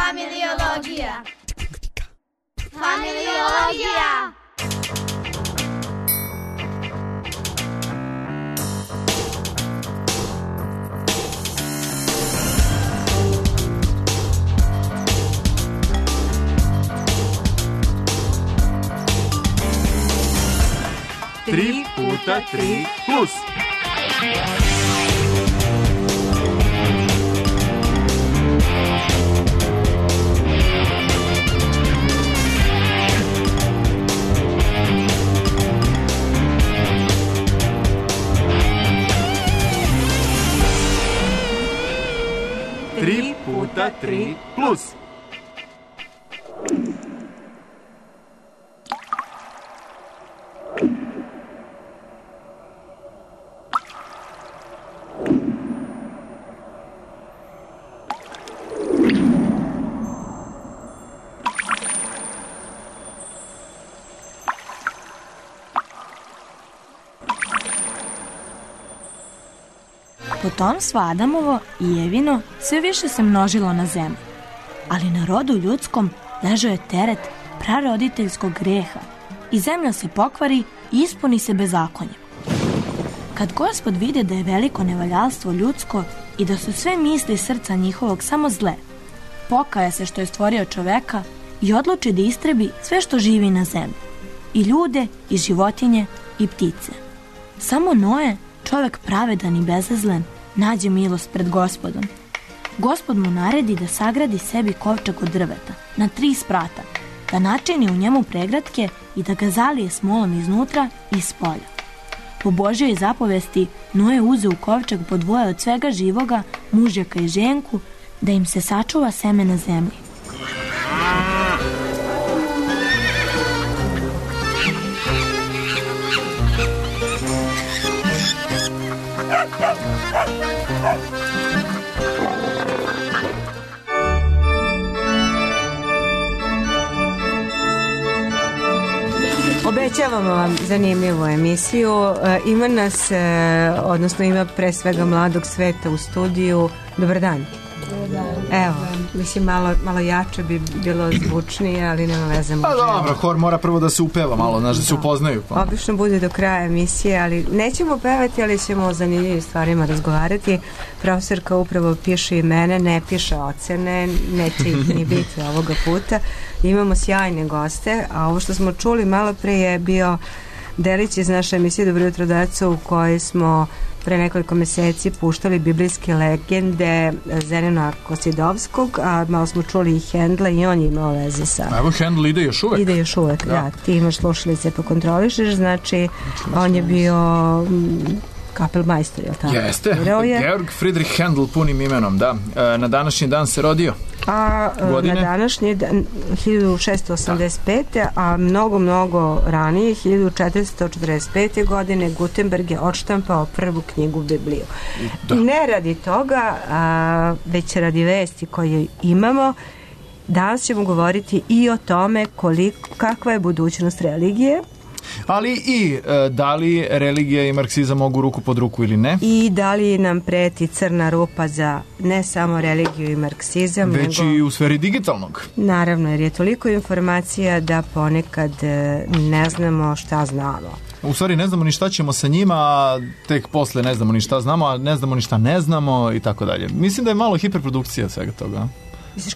Familiologija. Familiologija. Tri puta 3 plus. Tri puta 3 plus. Potomstvo Adamovo i Evino sve više se množilo na zemlji, ali na rodu ljudskom ležao je teret praroditeljskog greha i zemlja se pokvari i ispuni se bezakonjem. Kad Gospod vide da je veliko nevaljalstvo ljudsko i da su sve misli srca njihovog samo zle, pokaja se što je stvorio čoveka i odluči da istrebi sve što živi na zemlji, i ljude, i životinje, i ptice. Samo Noe, čovek pravedan i bezazlen, nađe milost pred Gospodom. Gospod mu naredi da sagradi sebi kovčeg od drveta na 3 sprata, da načini u njemu pregratke i da ga zalije smolom iznutra i spolja. Po Božjoj zapovesti Noe uze u kovčeg po 2 od svega živoga, mužjaka i ženku, da im se sačuva seme na zemlji. Obećavamo vam zanimljivu emisiju. Ima nas, odnosno ima pre svega mladog sveta u studiju. Dobar dan. Evo, mislim malo jače bi bilo zvučnije, ali nema veze. Pa dobro, hor mora prvo da se upeva malo, znaš, da se upoznaju. Pa. Obično bude do kraja emisije, ali nećemo pevati, ali ćemo o zanimljivim stvarima razgovarati. Profesorka upravo piše imene, ne piše ocene, neće ih ni biti ovoga puta. Imamo sjajne goste, a ovo što smo čuli malo pre je bio delić iz naše emisije Dobro jutro deco, u kojoj smo pre nekoliko meseci puštali biblijske legende Zenona Kosidovskog, a malo smo čuli i Hendla i on je imao veze sa... Evo, Hendl ide još uvek. Ide još uvek, da. Ti imaš slušalice pa kontrolišeš, znači on je bio kapelmajstor, je li tako? Jeste, Georg Friedrich Hendl punim imenom, da. Na današnji dan se rodio. A na današnji dan 1685. A mnogo ranije 1445. godine Gutenberg je odštampao prvu knjigu Bibliju. Ne radi toga, već radi vesti koje imamo. Danas ćemo govoriti i o tome kakva je budućnost religije, ali i da li religija i marksizam mogu ruku pod ruku ili ne. I da li nam preti crna rupa za ne samo religiju i marksizam, već nego i u sferi digitalnog. Naravno, jer je toliko informacija da ponekad ne znamo šta znamo. U stvari ne znamo ni šta ćemo sa njima, a tek posle ne znamo ni šta znamo, a ne znamo ni šta ne znamo i tako dalje. Mislim da je malo hiperprodukcija svega toga.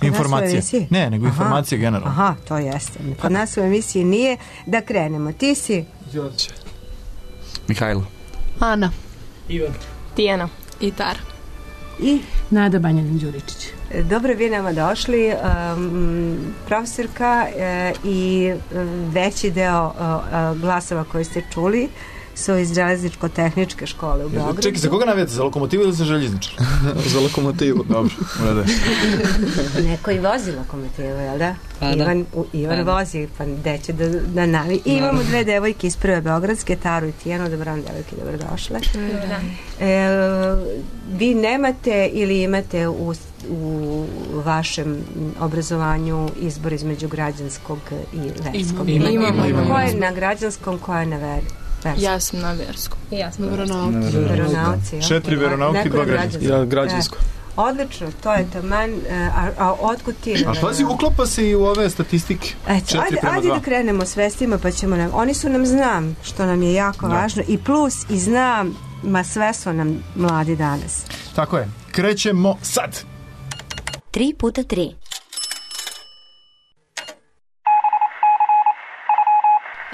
Informacije. Ne, nego informacije generalno. Aha, to jeste. Kod nas u emisiji nije. Da krenemo. Ti si? Đorđe. Mihajlo. Ana. Ivan. Tijana. I Tara. I? Nada Banjanin-Đuričić. Dobro, vi nama došli. Profesorka i veći deo glasova koje ste čuli su iz železničko-tehničke škole u Beogradu. Čekaj, za koga navijate? Za lokomotivu ili za željezničar? Za lokomotivu. Dobro, urede. Neko i vozi lokomotivu, jel da? Ivan vozi, pa gde će da navi. I imamo 2 devojke iz prve beogradske, Taru i Tijanu. Dobar dan, devojke, dobrodošle. Vi nemate ili imate u vašem obrazovanju izbor između građanskog i verskog? Imamo. Ko je na građanskom, ko je na verskom? Ja sam na verskom. Ja sam na veronauci. 4 veronauke i 2 građanske. Ja građansko. Odlično, to je taman, a otkud ti? A pazi, uklapa se i u ove statistike. Eto, ajde da krenemo s vestima, pa ćemo oni su nam znam, što nam je jako važno, i plus i znam, sve su nam mladi danas. Tako je, krećemo sad. 3x3.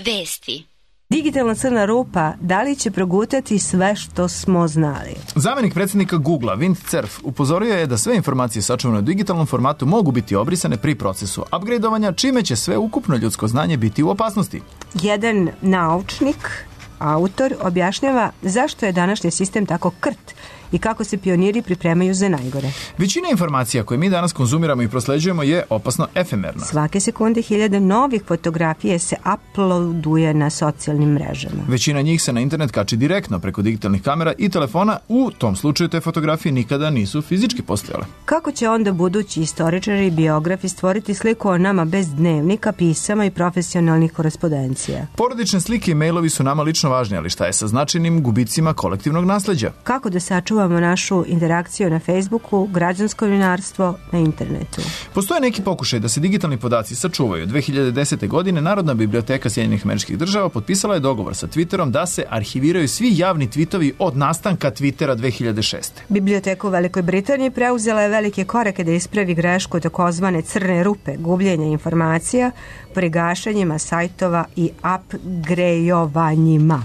Vesti. Digitalna crna rupa, da li će progutati sve što smo znali? Zamenik predsjednika Googlea, Vint Cerf, upozorio je da sve informacije sačuvane u digitalnom formatu mogu biti obrisane pri procesu upgradeovanja, čime će sve ukupno ljudsko znanje biti u opasnosti. Jedan naučnik, autor, objašnjava zašto je današnji sistem tako krt i kako se pioniri pripremaju za najgore. Većina informacija koje mi danas konzumiramo i prosleđujemo je opasno efemerna. Svake sekunde 1000 novih fotografije se uploaduje na socijalnim mrežama. Većina njih se na internet kači direktno preko digitalnih kamera i telefona. U tom slučaju te fotografije nikada nisu fizički postojale. Kako će onda budući istoričari i biografi stvoriti sliku o nama bez dnevnika, pisama i profesionalnih korespondencija? Porodične slike i mailovi su nama lično važni, ali šta je sa značajnim gubicima kolektivnog nasleđa? Kako da sačuvamo našu interakciju na Facebooku, građansko novinarstvo na internetu? Postoje neki pokušaj da se digitalni podaci sačuvaju. 2010. godine Narodna biblioteka Sjedinjenih Američkih Država potpisala je dogovor sa Twitterom da se arhiviraju svi javni tvitovi od nastanka Twittera 2006. Biblioteka u Velikoj Britaniji preuzela je velike korake da ispravi grešku takozvane crne rupe, gubljenja informacija, pri gašenjima sajtova i upgradeovanjima.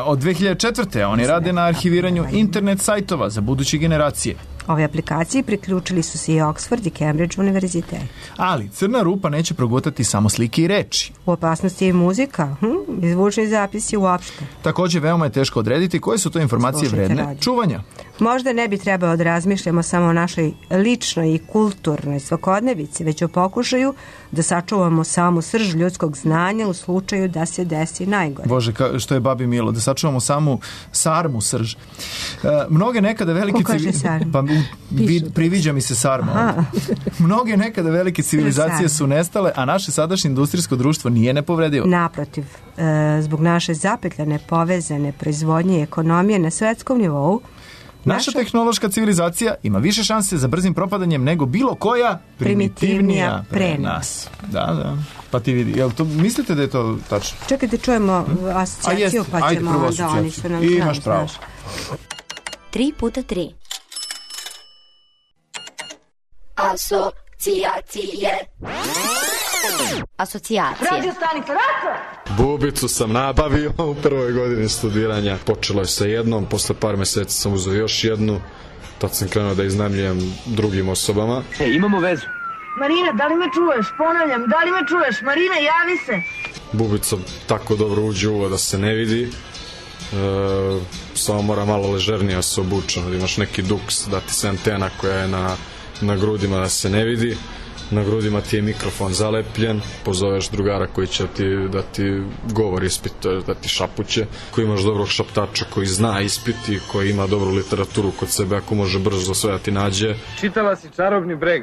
Od 2004. oni rade na arhiviranju internet sajtova za buduće generacije. Ove aplikacije priključili su se i Oxford i Cambridge univerzitet. Ali crna rupa neće progutati samo slike i reči. U opasnosti je i muzika, i zvučni zapisi uopšte. Također veoma je teško odrediti koje su to informacije vredne čuvanja. Možda ne bi trebalo da razmišljamo samo o našoj ličnoj i kulturnoj svakodnevici, već o pokušaju da sačuvamo samu srž ljudskog znanja u slučaju da se desi najgore. Bože, što je babi milo, da sačuvamo samu sarmu srž. Mnoge nekada velike priviđa mi se sarma. Mnoge nekada velike civilizacije su nestale, a naše sadašnje industrijsko društvo nije nepovredivo. Naprotiv, zbog naše zapetljane, povezane proizvodnje i ekonomije na svetskom nivou, naša tehnološka civilizacija ima više šanse za brzim propadanjem nego bilo koja primitivnija pre nas. Da. Pa ti vidi, jel to, mislite da je to tačno? Čekajte, čujemo asocijaciju, pa ćemo onda oni su nam i imaš pravo. 3x3. Asocijacije. Radio stanica Raco! Bubicu sam nabavio u prvoj godini studiranja. Počelo je sa jednom, posle par meseci sam uzeo još jednu. Tad sam krenuo da iznajmljujem drugim osobama. Imamo vezu. Marina, da li me čuješ? Ponavljam, da li me čuješ? Marina, javi se! Bubica tako dobro uđe u uvo da se ne vidi. Samo mora malo ležernije se obuče. Imaš neki duks, da ti se antena koja je na grudima da se ne vidi. Na grudima ti je mikrofon zalepljen, pozoveš drugara koji će da ti govor ispituje, da ti šapuće, koji imaš dobrog šaptača koji zna ispiti, koji ima dobru literaturu kod sebe, ako može brzo sve da ti nađe. Čitala si Čarobni breg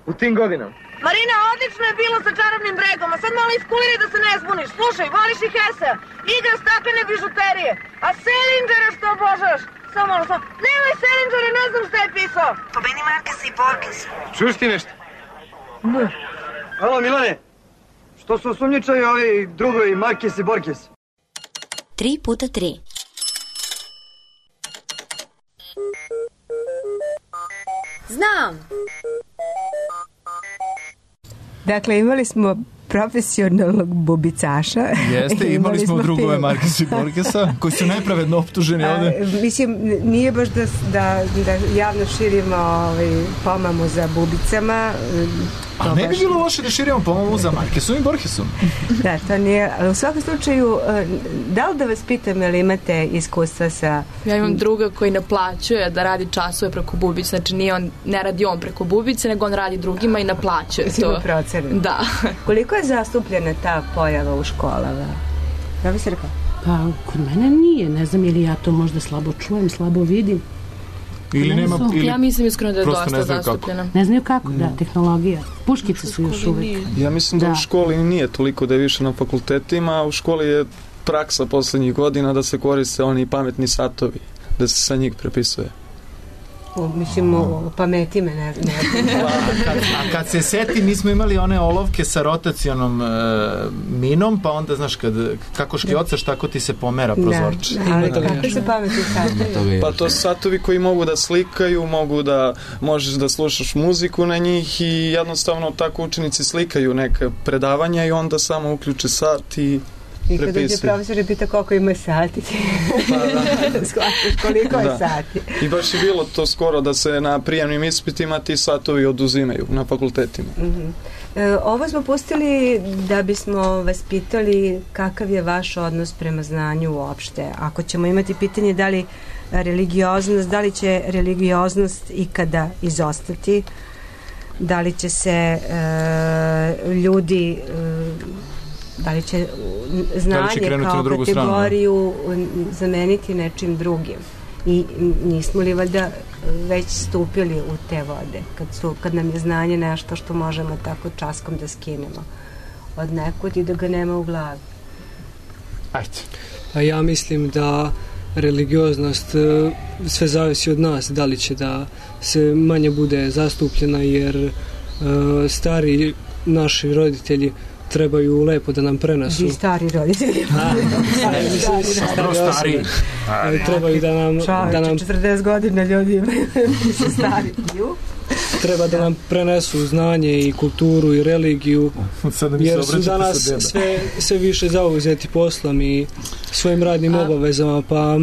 u tim godinama? Marina, odlično je bilo sa Čarobnim bregom, a sad malo iskuliri da se ne zbuniš. Slušaj, voliš i Hesa, igra staklene bižuterije, a Selingera što obožavaš? Samo, nemoj Selingera, ne znam šta je pisao. Pobedi Markesa i Borgesa. Čuš ti nešto? Ne. Alo, Milane, što su osumnjičaju ovi drugovi Markes i Borges? 3x3. Znam! Dakle, imali smo profesionalnog bubicaša. Jeste, imali smo drugove Markesa i Borgesa, koji su nepravedno optuženi ovde. Mislim, nije baš da javno širimo pomamu za bubicama. A ne bi bilo loše da širimo pomamu za Markesom i Borgesom. Da, to nije. Ali u svakom slučaju, da li da vas pitam, ili imate iskustva sa... Ja imam druga koji naplaćuje da radi časove preko bubice. Znači, ne radi on preko bubice, nego on radi drugima i naplaćuje to. Ima procene. Da. Koliko je zastupljena ta pojava u školama? Da bi se rekao? Pa, kod mene nije. Ne znam, ili ja to možda slabo čujem, slabo vidim. Ili nema, ja mislim iskreno da je dosta zastupljena. Ne znaju kako, da, tehnologija. Puškice su još uvijek. Ja mislim da u školi nije toliko, da je više na fakultetima, a u školi je praksa poslednjih godina da se koriste oni pametni satovi, da se sa njih prepisuje. o pameti me ne A kad se seti, mi smo imali one olovke sa rotacionom minom, pa onda, znaš, kako škljocaš, tako ti se pomera prozorče. Ali kako se pameti satovi? Pa to satovi koji mogu da slikaju, možeš da slušaš muziku na njih i jednostavno tako učenici slikaju neka predavanja i onda samo uključe sat i I kad dođe profesor i pita koliko ima sati, shvatiš koliko je sati. I baš je bilo to skoro da se na prijemnim ispitima ti satovi oduzimaju na fakultetima. Ovo smo pustili da bismo vas pitali kakav je vaš odnos prema znanju uopšte. Ako ćemo imati pitanje da li će religioznost ikada izostati, da li će se ljudi da li će znanje kao kategoriju zameniti nečim drugim i nismo li valjda već stupili u te vode kad nam je znanje nešto što možemo tako časkom da skinemo od nekud i da ga nema u glavi. Ajde. A ja mislim da religioznost sve zavisi od nas, da li će da se manje bude zastupljena, jer stari naši roditelji trebaju lepo da nam prenesu. I stari roditelji. Stari. Trebaju da nam 40 godina ljudi imaju stari. Treba da nam prenesu znanje i kulturu i religiju, jer su danas sve više zauzeti poslom i svojim radnim obavezama, pa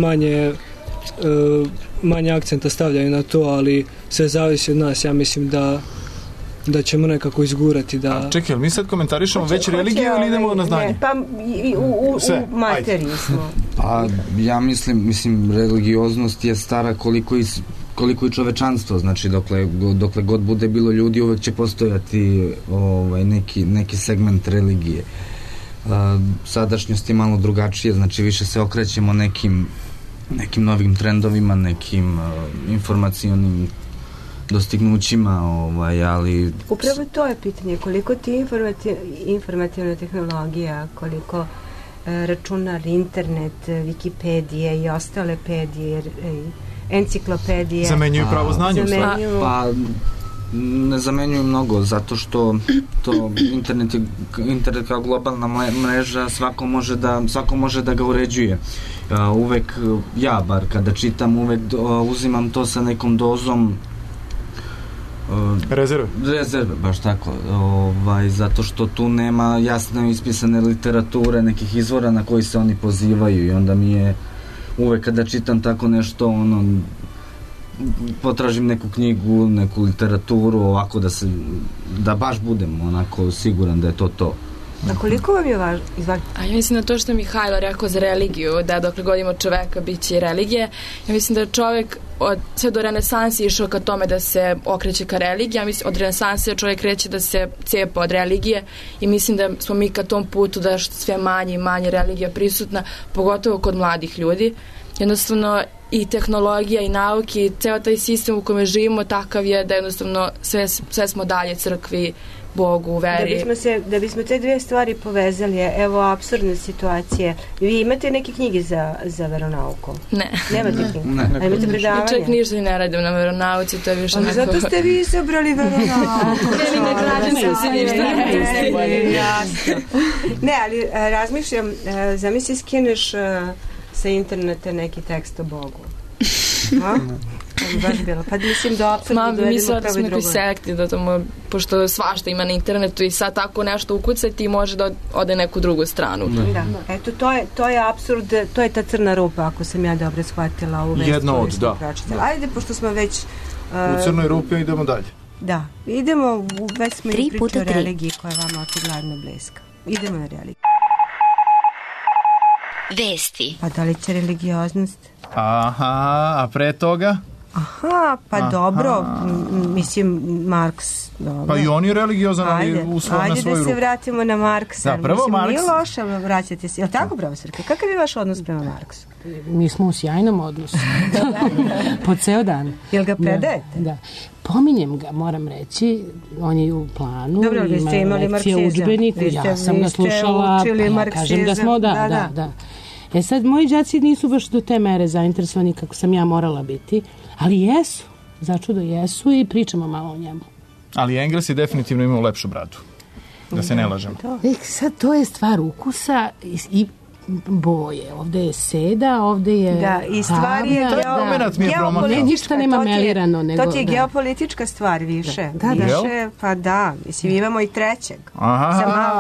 manje akcenta stavljaju na to, ali sve zavisi od nas. Ja mislim da ćemo nekako izgurati da... Čekaj, mi sad komentarišemo već religiju ili idemo na znanje? Pa u materiji smo. Pa ja mislim religioznost je stara koliko i čovečanstvo, znači dokle god bude bilo ljudi uvek će postojati neki segment religije. Sadašnjost je malo drugačije, znači više se okrećemo nekim novim trendovima, nekim informacionim dostignućima, ali... Upravo to je pitanje, koliko ti informativna tehnologija, koliko računar, internet, Wikipedije i ostale pedije, enciklopedije... Zamenjuju pravo znanje. Pa ne zamenjuju mnogo, zato što to internet kao globalna mreža svako može da ga uređuje. Uvek, ja bar kada čitam, uvek uzimam to sa nekom dozom rezerve, baš tako, zato što tu nema jasno ispisane literature, nekih izvora na koji se oni pozivaju i onda mi je uvek kada čitam tako nešto, potražim neku knjigu, neku literaturu, ovako da baš budem onako siguran da je to. A koliko vam je važno? A ja mislim na to što je Mihajlo rekao za religiju, da dokle god ima čoveka biće i religije. Ja mislim da je čovek sve do renesansi išao ka tome da se okreće ka religiji. Ja mislim od renesanse čovek kreće da se cepa od religije i mislim da smo mi ka tom putu da sve manje i manje religija prisutna, pogotovo kod mladih ljudi. Jednostavno i tehnologija i nauke i ceo taj sistem u kome živimo takav je da jednostavno sve smo dalje crkvi, Bogu, veri. Da bismo te dve stvari povezali, evo apsurdne situacije. Vi imate neke knjige za veronauku? Ne. Nemate knjige? Ne. A imate predavanje? Čak ništa ne radim na veronauci, to je više neko... Zato ste vi izabrali veronauku. Ne, ali razmišljam, zamisli skineš sa interneta neki tekst o Bogu. Baš bilo. Pa mislim da apsolutno dovedemo pravo i drugo. Mi sekti da tamo, pošto svašta ima na internetu i sad tako nešto ukucati i može da ode neku drugu stranu. Da. Eto, to je apsurd, to je ta crna rupa, ako sam ja dobro shvatila ovu vest. Jedno od, da. Ajde, pošto smo već... U crnoj rupi idemo dalje. Da, idemo, već smo i pričali o religiji koja je vama očigledno bliska. Idemo na religiju. Vesti. Pa da li će religioznost? Aha, a pre toga? Aha, pa dobro, mislim Marks. Dobro. Pa i on je religiozan, ali na svoju ruku. Ajde da se vratimo na Marksa. Da, prvo Marks. Nije loše vraćati se. Je li tako, profesorka? Kakav je vaš odnos prema Marksu? Mi smo u sjajnom odnosu. Po ceo dan. Jel ga predajete? Da. Pominjem ga, moram reći, on je u planu. Dobro, vi ste imali marksizam. Udžbeniku, ja sam ga slušala, pa ja kažem da smo, da. Sad, moji đaci nisu baš do te mere zainteresovani kako sam ja morala biti, ali jesu. začudo jesu i pričamo malo o njemu. Ali Englesi definitivno imaju lepšu bradu. Da se ne lažemo. Sad to je stvar ukusa i boje. Ovde je seda, ovde je... Da, i stvar je ništa nema melirano. To ti je geopolitička stvar više. Više, pa da. Mislim, imamo i trećeg. Aha.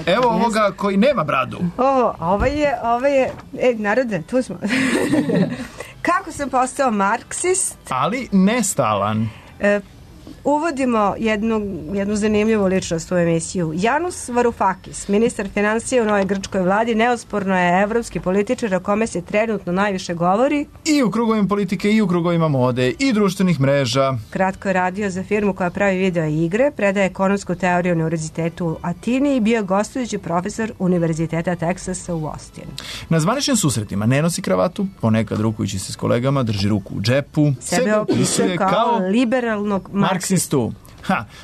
Evo ovoga koji nema bradu. Ovo je... narode, tu smo. Kako sam postao marksist? Ali nestalan. Uvodimo jednu zanimljivu ličnost u emisiju. Janus Varoufakis, ministar financija u novoj grčkoj vladi, neosporno je evropski političar o kome se trenutno najviše govori. I u krugovima politike, i u krugovima mode, i društvenih mreža. Kratko je radio za firmu koja pravi video igre, predaje ekonomsku teoriju u Univerzitetu u Atini i bio gostujući profesor Univerziteta Teksasa u Austinu. Na zvaničnim susretima ne nosi kravatu, ponekad rukujući se s kolegama, drži ruku u džepu. Sebe opisuje kao liberalnog marksistu.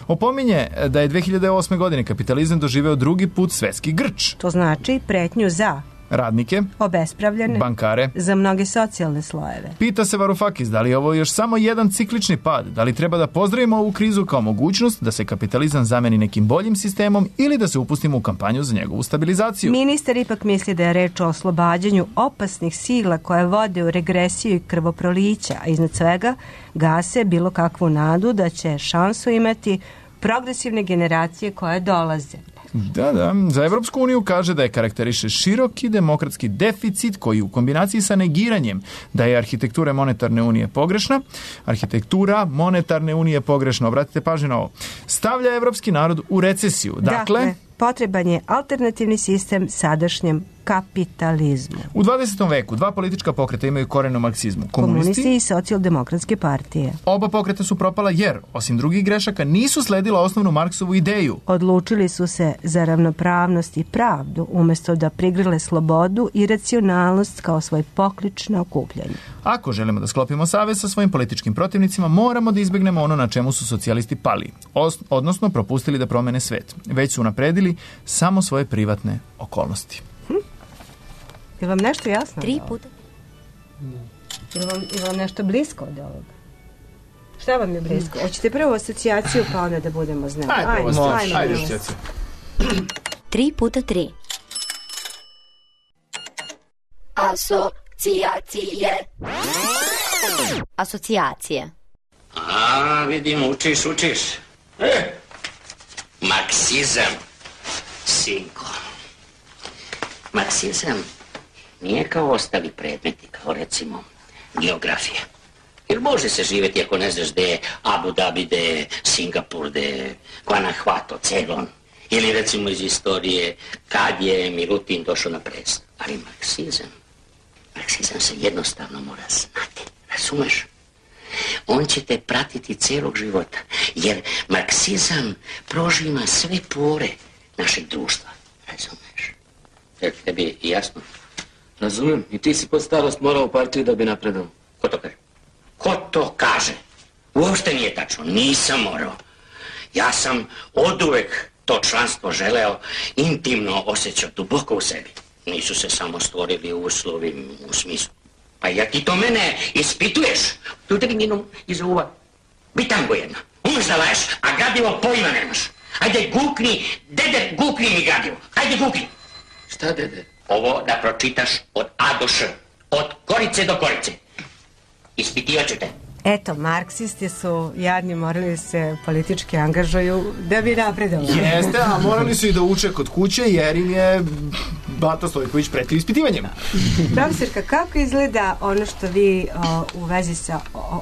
Opominje da je 2008. godine kapitalizam doživeo drugi put svetski grč. To znači pretnju za radnike, obespravljene, bankare, za mnoge socijalne slojeve. Pita se Varoufakis da li je ovo još samo jedan ciklični pad, da li treba da pozdravimo ovu krizu kao mogućnost da se kapitalizam zameni nekim boljim sistemom ili da se upustimo u kampanju za njegovu stabilizaciju. Ministar ipak misli da je reč o oslobađanju opasnih sila koje vode u regresiju i krvoprolića, a iznad svega gase bilo kakvu nadu da će šansu imati progresivne generacije koje dolaze. Da. Za Evropsku uniju kaže da je karakteriše široki demokratski deficit koji u kombinaciji sa negiranjem da je arhitektura monetarne unije pogrešna, obratite pažnju na ovo, stavlja evropski narod u recesiju. Dakle, potreban je alternativni sistem sadašnjem kapitalizmu. U 20. veku dva politička pokreta imaju koren u marksizmu. Komunisti i socijaldemokratske partije. Oba pokreta su propala jer, osim drugih grešaka, nisu sledila osnovnu Marksovu ideju. Odlučili su se za ravnopravnost i pravdu, umjesto da prigrle slobodu i racionalnost kao svoj poklič na okupljanje. Ako želimo da sklopimo savez sa svojim političkim protivnicima, moramo da izbegnemo ono na čemu su socijalisti pali, odnosno propustili da promene svet. Već su napredili samo svoje privatne okolnosti. Je vam nešto jasno? 3 puta. Je vam nešto blisko od ovoga? Šta vam je blisko? Hoćete prvo asocijaciju pa onda da budemo znali? Ajde asocijaciju. 3 puta 3. Asocijacije. Vidim, učiš. Marksizam, sinko. Marksizam nije kao ostali predmeti, kao recimo geografija. Jer može se živjeti ako ne znaš gde je Abu Dhabi, gde je Singapur, gde je Guanajuato, Ceylon. Ili recimo iz istorije kad je Milutin došao na presto. Ali Marksizam se jednostavno mora znati, razumeš? On će te pratiti celog života, jer Marksizam prožima sve pore našeg društva, razumeš? Tebi jasno? Razumijem, i ti si pod starost morao u partiju da bi napredao. Ko to kaže? Ko to kaže? Uopšte nije tačno, nisam morao. Ja sam oduvek to članstvo želeo, intimno osjećao, duboko u sebi. Nisu se samo stvorili uslovi u smislu. Pa ja ti to mene ispituješ? Tu tebi njenu iza uva. Bitango jedna, umeš da laješ, a gradivo pojma nemaš. Ajde gukni, dede, gukni mi gradivo. Ajde gukni. Šta, dede? Ovo da pročitaš od A do Š, od korice do korice. Ispitivat ću te. Eto, marksisti su jadni, morali se politički angažuju da bi napredovali. Jeste, a morali su i da uče kod kuće jer im je Bata Stojković pretio ispitivanjem. Profesorka, kako izgleda ono što vi u vezi sa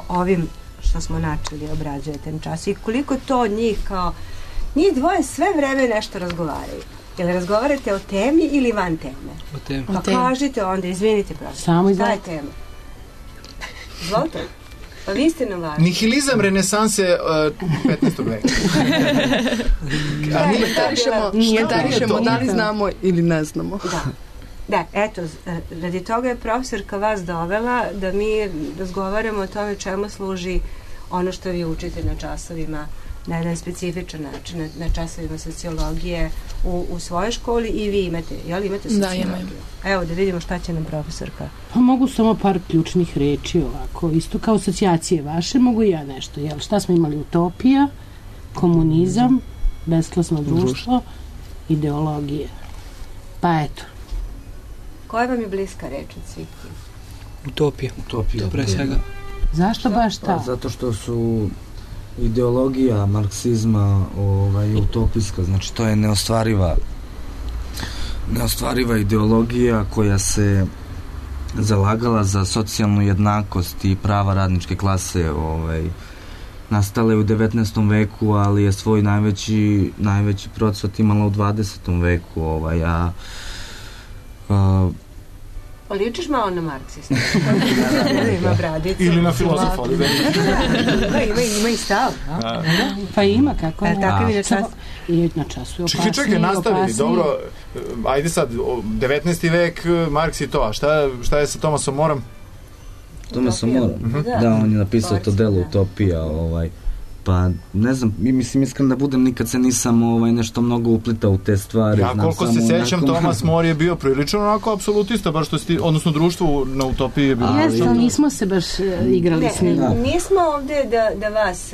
ovim što smo načeli obrađujete na času i koliko to njih njih dvoje sve vreme nešto razgovaraju? Jel razgovarate o temi ili van teme? O temi. Pa kažite onda, izvinite profesor. Samo šta je tema? Izvolite. Pa vi ste na važni. Nihilizam renesanse 15. veka. Komentarišemo da li znamo ili ne znamo. Da, eto, radi toga je profesorka vas dovela da mi razgovaramo o tome čemu služi ono što vi učite na časovima na jedan specifičan način, na časovima sociologije u svojoj školi i vi imate, jel imate sociologiju? Da, imam. Evo da vidimo šta će nam profesorka. Pa mogu samo par ključnih reči ovako, isto kao asocijacije vaše, mogu i ja nešto, jel? Šta smo imali? Utopija, komunizam, besklasno društvo, ideologije. Pa eto. Koja vam je bliska reč od svih? Utopija. Utopija. Pre svega. Zašto baš ta? Pa, zato što su ideologija marksizma utopijska, znači to je neostvariva ideologija koja se zalagala za socijalnu jednakost i prava radničke klase, nastala je u 19. veku, ali je svoj najveći procvat imala u 20. veku, Ličiš malo na marksista. Ima bradicu. Ili na filozofa. Ima i stav. Pa ima, kako ne. Takav je na času. I na času je opasniji. Čekaj, nastavi. Dobro, ajde sad, 19. vek, Marks i to, a šta je sa Thomasom Morom? Thomasom Morom? Da, on je napisao to delo Utopija, pa ne znam, mislim iskreno da budem, nikad se nisam nešto mnogo uplitao u te stvari. Ja koliko se sećam, Thomas More je bio prilično onako apsolutista, baš što si, odnosno društvo na Utopiji je bilo. Jeste, ali nismo se baš igrali s njim. Nismo ovde da vas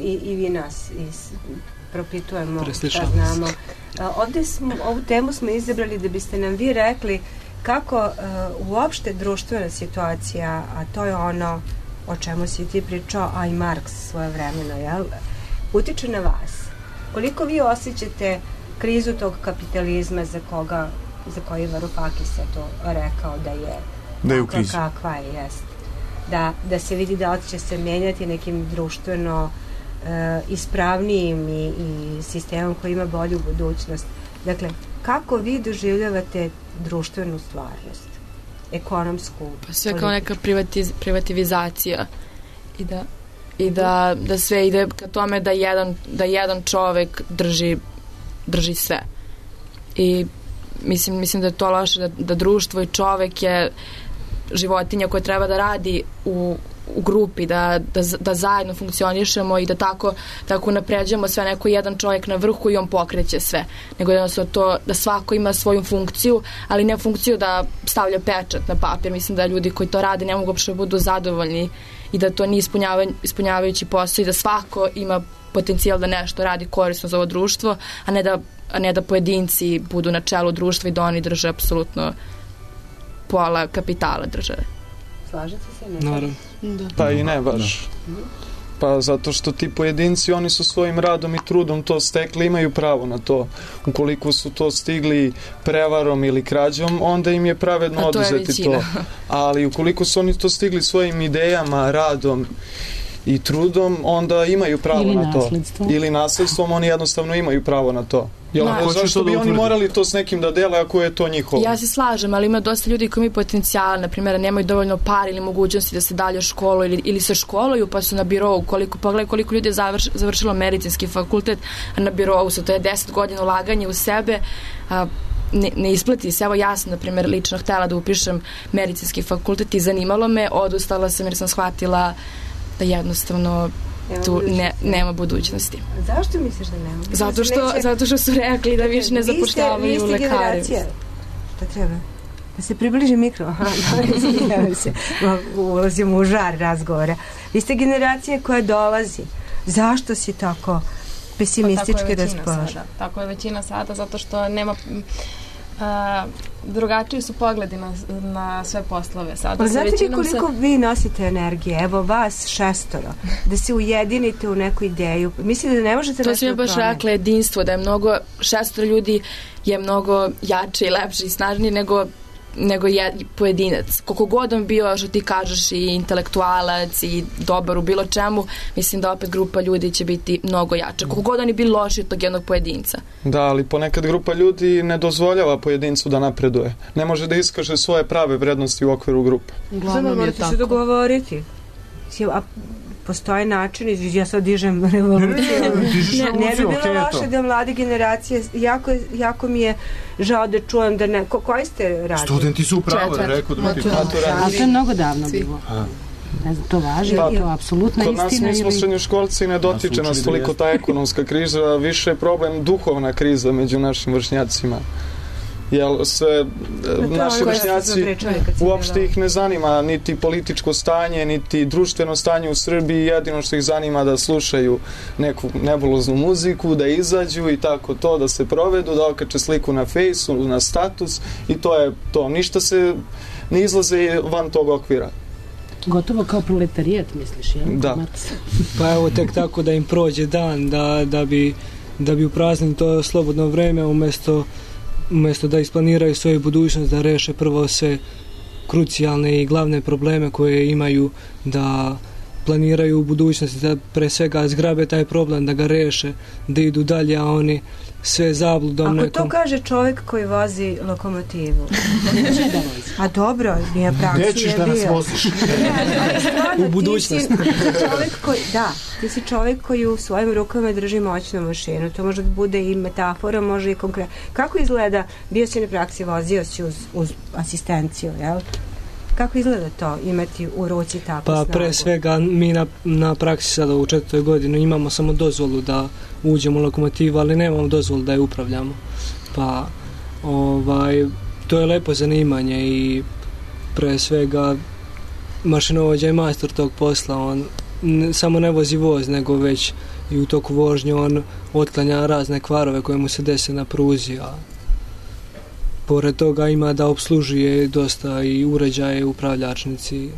i vi nas propitujemo šta znamo. Ovde ovu temu smo izabrali da biste nam vi rekli kako uopšte društvena situacija, a to je ono o čemu si ti pričao, a i Marks svoje vremeno, jel? Utiče na vas. Koliko vi osjećate krizu tog kapitalizma za koji Varoufakis je to rekao da je u krizi. Kakva je, jest. Da se vidi da će se menjati nekim društveno ispravnijim i sistemom koji ima bolju budućnost. Dakle, kako vi doživljavate društvenu stvarnost? Ekonomsku. Pa sve kao neka privativizacija i da sve ide ka tome da jedan čovek drži sve. I mislim da je to loše, da društvo i čovek je životinja koja treba da radi u grupi, da zajedno funkcionišemo i da tako napređujemo sve, neko jedan čovjek na vrhu i on pokreće sve. Nego jednostavno to da svako ima svoju funkciju, ali ne funkciju da stavlja pečat na papir. Mislim da ljudi koji to rade ne mogu uopšte budu zadovoljni i da to nije ispunjavajući posao i da svako ima potencijal da nešto radi korisno za ovo društvo, a ne da pojedinci budu na čelu društva i da oni drže apsolutno pola kapitala države. Slažete se? Naravno. Pa i ne baš. Pa zato što ti pojedinci, oni su svojim radom i trudom to stekli, imaju pravo na to. Ukoliko su to stigli prevarom ili krađom, onda im je pravedno oduzeti to. Ali ukoliko su oni to stigli svojim idejama, radom i trudom, onda imaju pravo na to. Ili nasledstvom, oni jednostavno imaju pravo na to. Zašto bi oni morali to s nekim da dele ako je to njihovo? Ja se slažem, ali ima dosta ljudi koji imaju potencijal, na primjer, nemaju dovoljno par ili mogućnosti da se dalje školuju ili se školuju pa su na birou. Pogledaj koliko ljudi je završilo medicinski fakultet, a na birou su, to je 10 godina ulaganje u sebe, ne isplati se. Evo ja sam, na primjer, lično htjela da upišem medicinski fakultet i zanimalo me, odustala sam jer sam shvatila da jednostavno tu nema budućnosti. Zašto misliš da nema? Zato što su rekli da više ne zapošljavaju lekare. Vi ste generacija. Šta treba? Da se približi mikro. Ulazimo u žar razgovora. Vi ste generacija koja dolazi. Zašto si tako pesimistički raspoložen? Tako je većina sada, zato što nema... drugačiji su pogledi na sve poslove. Pa znate li koliko vi nosite energije? Evo vas 6, da se ujedinite u neku ideju. Mislite da ne možete to sam ja baš rekla, jedinstvo, da je mnogo 6 ljudi je mnogo jače i lepše i snažnije nego pojedinac. Koliko god on bio, što ti kažeš, i intelektualac i dobar u bilo čemu, mislim da opet grupa ljudi će biti mnogo jača. Koliko god oni bili loši od tog jednog pojedinca. Da, ali ponekad grupa ljudi ne dozvoljava pojedincu da napreduje. Ne može da iskaže svoje prave vrednosti u okviru grupe. Uglavnom je tako. Se dogovoriti. A postoje način, ja sad dižem revoluciju. Ne bi bilo loše da mlade generacije, jako mi je žao da čujem da ne... Koji ste radili? Studenti su upravo, rekao da to je mnogo davno bilo. Ne znam, to važi, to apsolutna istina. Kod nas mi smo srednjoškolci i ne dotiče nas toliko ta ekonomska kriza, više je problem duhovna kriza među našim vršnjacima. Jer sve naši vršnjaci uopšte ih ne zanima niti političko stanje, niti društveno stanje u Srbiji, jedino što ih zanima da slušaju neku nebuloznu muziku, da izađu i tako to, da se provedu, da okače sliku na fejsu, na status i to je to. Ništa se ne izlaze van tog okvira. Gotovo kao proletarijat, misliš, jel? Da. Pa evo, tek tako da im prođe dan, da bi upraznili to slobodno vreme, umjesto da isplaniraju svoju budućnost, da reše prvo sve krucijalne i glavne probleme koje imaju, da planiraju u budućnosti, da pre svega zgrabe taj problem, da ga reše, da idu dalje, a oni sve zabludom nekom. Ako to kaže čovjek koji vozi lokomotivu. A dobro, nije praksi je bio. Nećeš da nas voziš. U budućnosti. Ti si čovjek koji u svojim rukama drži moćnu mašinu. To može da bude i metafora, može i konkretno. Kako izgleda, bio si na praksi, vozio si uz asistenciju, jel? Kako izgleda to, imati u ruci takvu snagu? Pa pre svega mi na praksi sada u 4. godini imamo samo dozvolu da uđemo u lokomotivu, ali nemamo dozvolu da je upravljamo. Pa to je lepo zanimanje i pre svega mašinovođa je majstor tog posla. On samo ne vozi voz, nego već i u toku vožnje on otklanja razne kvarove koje mu se dese na pruzi, a pored toga ima da obslužuje dosta i uređaje, upravljačnici.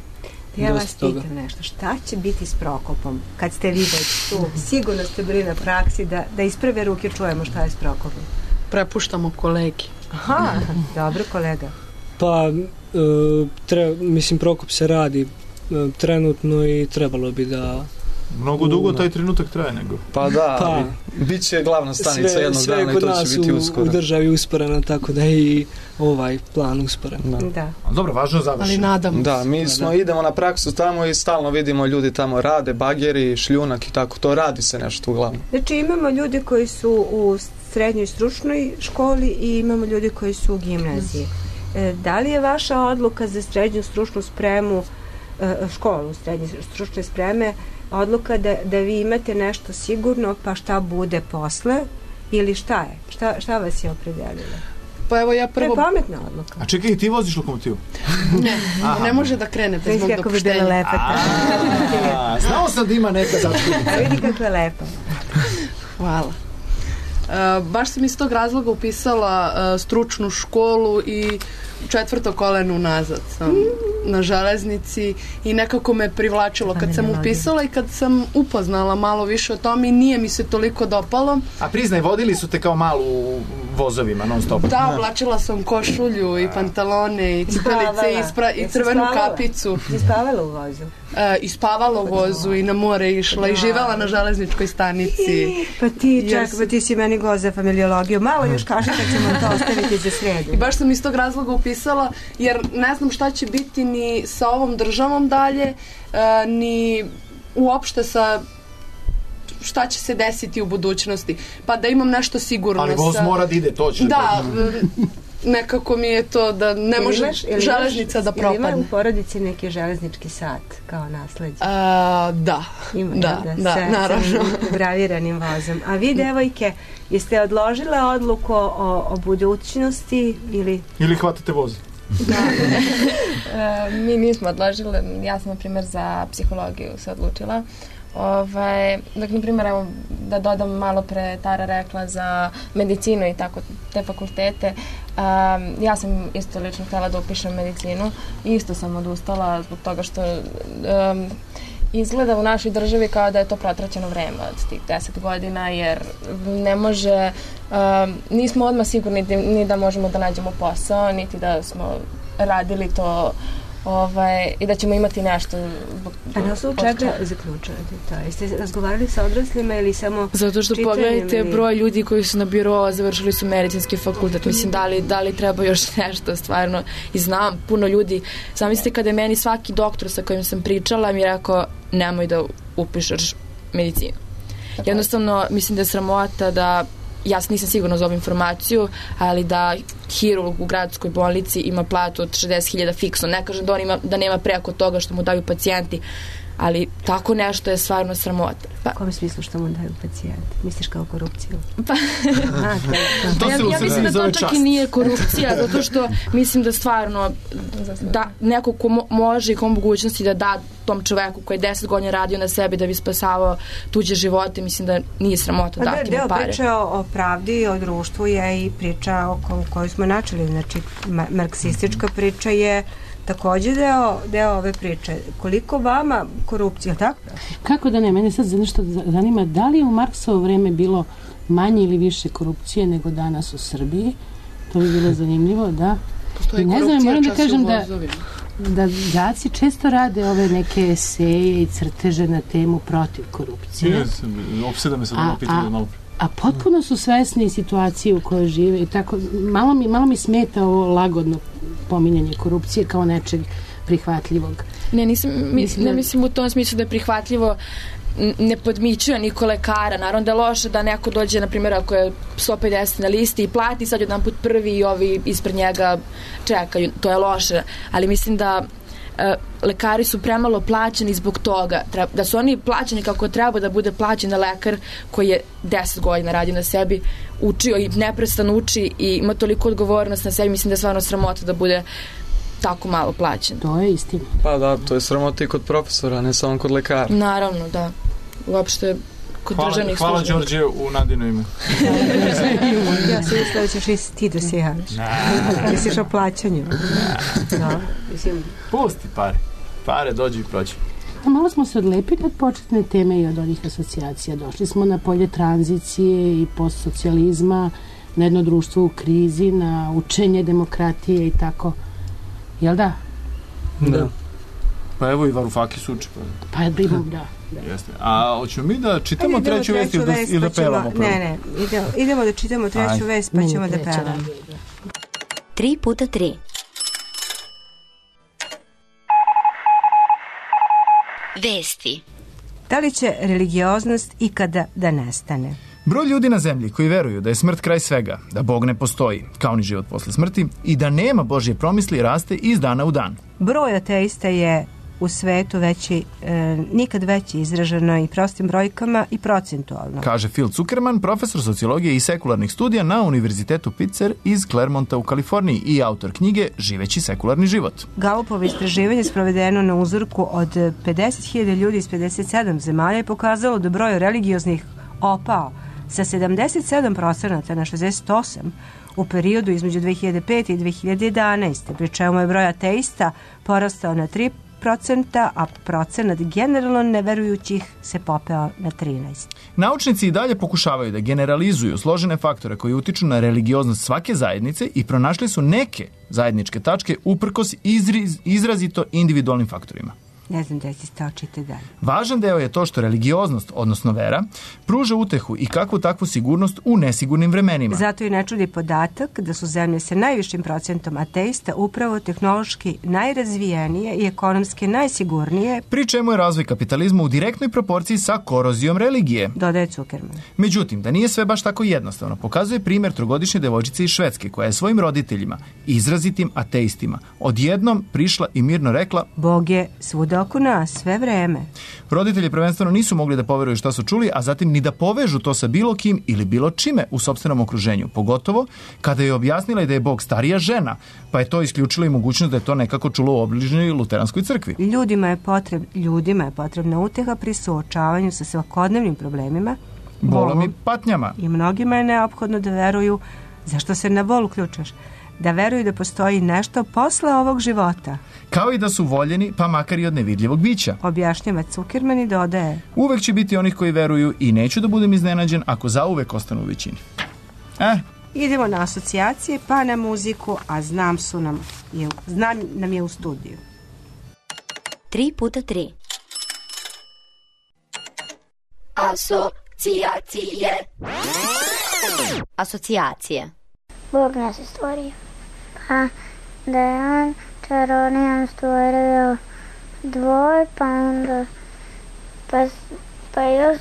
Ja vas pitam nešto, šta će biti s Prokopom? Kad ste vi već tu, sigurno ste bili na praksi, da iz prve ruke čujemo šta je s Prokopom. Prepuštamo kolegi. Aha, dobro kolega. Pa, mislim, Prokop se radi trenutno i trebalo bi da... Mnogo dugo taj trenutak traje nego. Pa da, bit će glavna stanica jednog dana i to će biti uskoro. Sve kod nas u državi usporeno, tako da je i ovaj plan usporen. Da. Dobro, važno završeno. Ali nadamo. Da, mi idemo na praksu tamo i stalno vidimo ljudi tamo rade, bageri, šljunak i tako, to radi se nešto uglavnom. Znači imamo ljudi koji su u srednjoj stručnoj školi i imamo ljudi koji su u gimnaziji. Da li je vaša odluka za srednju stručnu spremu, školu srednje stručne spreme, odluka da vi imate nešto sigurno, pa šta bude posle, ili šta je? Šta vas je opredelilo? Pa evo ja prvo... To je pametna odluka. A čekaj, ti voziš lokomotivu? Ne može da krene bez mog dopuštenja. Kako bi bila lepa. Znao sam da ima neka začudica. A vidi kako je lepa. Hvala. Baš sam iz tog razloga upisala stručnu školu i 4. koleno unazad sam na železnici i nekako me privlačilo kad sam upisala i kad sam upoznala malo više o tome i nije mi se toliko dopalo. A priznaj, vodili su te kao malu u vozovima non stop? Da, oblačila sam košulju i pantalone i cipelice i crvenu kapicu. Ispavala u vozu? Ispavala u vozu i na more išla i živela na železničkoj stanici. Pa ti si meni go za familiologiju. Malo još kaži kad ćemo to ostaviti za sredu. I baš sam iz tog razloga upisala jer ne znam šta će biti ni sa ovom državom dalje, ni uopšte sa šta će se desiti u budućnosti. Pa da imam nešto sigurno. Ali voz mora da ide, to će. Da, nekako mi je to da ne može železnica da propadne. Ili ima u porodici neki železnički sat kao nasleđe? Da, naravno. Sa graviranim vozom. A vi, devojke, jeste odložile odluku o budućnosti ili... Ili hvatate voz? Mi nismo odložile. Ja sam, na primjer, za psihologiju se odlučila. Dakle, na primjer, da dodam malo pre, Tara rekla za medicinu i tako te fakultete. Ja sam isto lično htjela da upišem medicinu i isto sam odustala zbog toga što izgleda u našoj državi kao da je to protraćeno vreme od tih 10 godina jer ne može, nismo odmah sigurni ni da možemo da nađemo posao, niti da smo radili to i da ćemo imati nešto. A na osnovu čega zaključujete to? Jeste razgovarali sa odraslima ili samo zato što pogledajte broj ljudi koji su na biro završili su medicinski fakultet. Mislim, da li treba još nešto stvarno. I znam puno ljudi. Zamislite kada je meni svaki doktor sa kojim sam pričala mi je rekao nemoj da upišeš medicinu. Jednostavno, mislim da je sramota da ja nisam sigurna za ovu informaciju, ali da hirurg u gradskoj bolnici ima platu od 60.000 fiksno. Ne kažem da on ima, da nema preko toga što mu daju pacijenti, ali tako nešto je stvarno sramota. U kom smislu što mu daju pacijenti? Misliš kao korupciju? Pa, ja mislim da to čak i nije korupcija, zato što mislim da stvarno da neko ko može i ko mogućnosti da da tom čoveku koji je 10 godina radio na sebi da bi spasavao tuđe živote, mislim da nije sramota dati mu pare. Deo priča o pravdi, o društvu je i priča o kojoj smo načeli. Znači, marksistička priča je takođe deo ove priče. Koliko vama korupcija, tako? Kako da ne, mene sad nešto zanima, da li je u Marksovo vreme bilo manje ili više korupcije nego danas u Srbiji? To bi bilo zanimljivo, da. Postoji i ne znam, moram da kažem da đaci često rade ove neke eseje i crteže na temu protiv korupcije. Opseda me sad ovo pitanje malo. A potpuno su svesni situacije u kojoj žive i tako, malo mi smeta ovo lagodno pominjanje korupcije kao nečeg prihvatljivog. Ne mislim u tom smislu da je prihvatljivo, ne podmićuje niko lekara. Naravno da je loše da neko dođe, na primjer, ako je 150 na listi i plati sad jedan put prvi i ovi ispred njega čekaju. To je loše, ali mislim da lekari su premalo plaćeni zbog toga. Da su oni plaćeni kako treba da bude plaćen lekar koji je 10 godina radi na sebi, učio i neprestano uči i ima toliko odgovornost na sebi, mislim da je stvarno sramota da bude tako malo plaćen. To je istina. Pa da, to je sramota i kod profesora, ne samo kod lekara. Naravno, da. Uopšte kod državnih službenika. Hvala Đorđe u Nadino ime. Ja sam mislila da ćeš i ti da se javiš. Misliš o plaćanju. Pusti pare. Pare dođu i prođu. Malo smo se odlepili od početne teme i od onih asocijacija. Došli smo na polje tranzicije i postsocijalizma, na jedno društvo u krizi, na učenje demokratije i tako. Jel da? Da. Pa evo i Varufakis uči. Pa da. Jeste. A hoćemo mi da čitamo treću vest ili da pevamo prvo? Ne, idemo da čitamo treću vest pa ćemo da pevamo. 3x3 Vesti. Da li će religioznost ikada da nestane? Broj ljudi na zemlji koji veruju da je smrt kraj svega, da Bog ne postoji, kao ni život posle smrti, i da nema Božje promisli raste iz dana u dan. Broj ateista je u svetu nikad veći, izraženo i prostim brojkama i procentualno. Kaže Phil Zuckerman, profesor sociologije i sekularnih studija na Univerzitetu Pitzer iz Clermonta u Kaliforniji i autor knjige Živeći sekularni život. Gallupovo istraživanje sprovedeno na uzorku od 50.000 ljudi iz 57 zemalja je pokazalo da broj religioznih opao sa 77% na 68% u periodu između 2005. i 2011. Pri čemu je broj ateista porastao na 3%, a procenat generalno neverujućih se popeo na 13%. Naučnici i dalje pokušavaju da generalizuju složene faktore koji utiču na religioznost svake zajednice i pronašli su neke zajedničke tačke uprkos izrazito individualnim faktorima. Ne znam da si stao čite dalje. Važan deo je to što religioznost, odnosno vera, pruža utehu i kakvu takvu sigurnost u nesigurnim vremenima. Zato i ne čudi podatak da su zemlje sa najvišim procentom ateista upravo tehnološki najrazvijenije i ekonomski najsigurnije, pri čemu je razvoj kapitalizma u direktnoj proporciji sa korozijom religije, dodaje Zuckerman. Međutim, da nije sve baš tako jednostavno, pokazuje primjer trogodišnje devojčice iz Švedske koja je svojim roditeljima, izrazitim ateistima, odjednom prišla i mirno rekla: Bog je svuda oko nas, sve vreme. Roditelji prvenstveno nisu mogli da poveruju šta su čuli, a zatim ni da povežu to sa bilo kim ili bilo čime u sopstvenom okruženju, pogotovo kada je objasnila da je Bog starija žena, pa je to isključilo i mogućnost da je to nekako čulo u obližnjoj luteranskoj crkvi. Ljudima je potrebna uteha pri suočavanju sa svakodnevnim problemima, bolom i patnjama. I mnogima je neophodno da veruju, zašto se na bol uključaš, da veruju da postoji nešto posle ovog života. Kao i da su voljeni, pa makar i od nevidljivog bića. Objašnjava Zuckerman i dodaje: uvek će biti onih koji veruju i neću da budem iznenađen ako zauvek ostanu u većini. Idemo na asocijacije, pa na muziku, a znam nam je u studiju. 3x3 Asocijacije. Bog nas je stvorio, pa da je on čarovnijom stvorio dvoj, pa onda pa još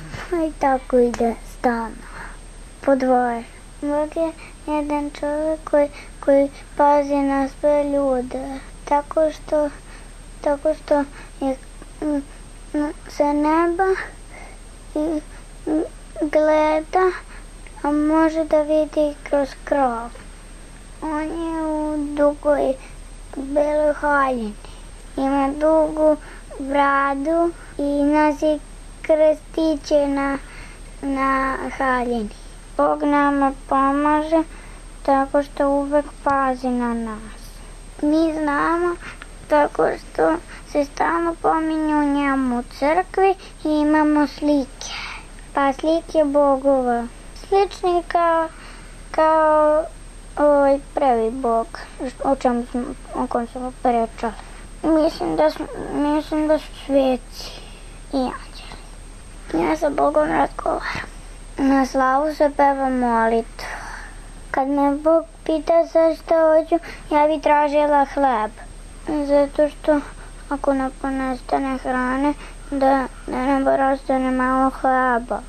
i tako ide stalno. po dvoje. Bog je jedan čovjek koji pazi na sve ljude. Tako što je sa neba i gleda, a može da vidi kroz krov. On je u dugoj beloj haljini. Ima dugu bradu i nosi krstiće na haljini. Bog nama pomaže tako što uvek pazi na nas. Mi znamo tako što se stalno pominju njemu u crkvi i imamo slike. Pa slike bogova. Slični kao prvi bog, o kom smo pričali. Mislim da su sveci i anđeli. Ja sa Bogom razgovaram. Na slavu se peva molitva. Kad me Bog pita za šta hoću, ja bi tražila hleb. Zato što ako nam ponestane hrane, da nam bar ostane malo hleba.